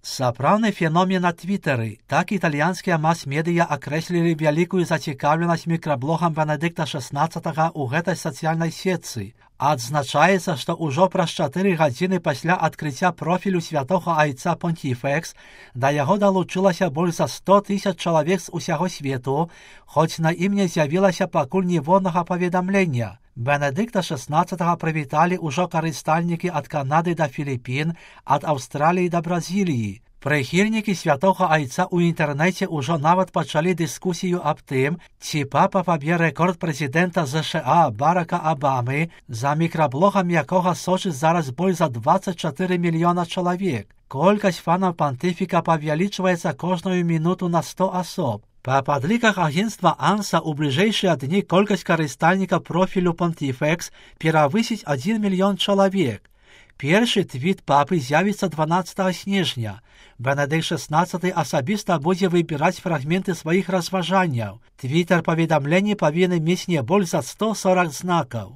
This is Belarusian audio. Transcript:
Сапраўдны феномен на Твиттері. Так італьянскія мас-медыя акрэслілі вялікую зацікаўленасць мікраблогам Бенедыкта XVI ў гэтай сацыяльнай сетцы. Адзначаецца, што ўжо праз 4 гадзіны пасля адкрыцця профілю святога айца Понтифекс да яго далучылася больш за 100 000 чалавек з усяго свету, хоць на ім не з'явілася пакуль ніводнага паведамлення. Бенедыкта XVI прывіталі ўжо карыстальнікі ад Канады да Філіпін, ад Аўстраліі да Бразіліі. Прыхільнікі святога айца ў інтэрнэце ўжо нават пачалі дыскусію аб тым, ці папа паб'е рэкорд прэзідэнта ЗША Барака Абамы, за мікраблогам якога сочыць зараз больш за 24 мільёна чалавек. Колькасць фанаў пантыфіка павялічваецца кожную мінуту на 100 асоб. Па падліках агенцтва ANSA у бліжэйшыя дні колькасць карыстальнікаў профілю Понтифекс перавысіць 1 мільён чалавек. Першы твіт папы з'явіцца 12 снежня. Бенедыкт XVI асабіста будзе выбіраць фрагменты сваіх разважанняў. Твітер паведамленні павінен мець не больш за 140 знакаў.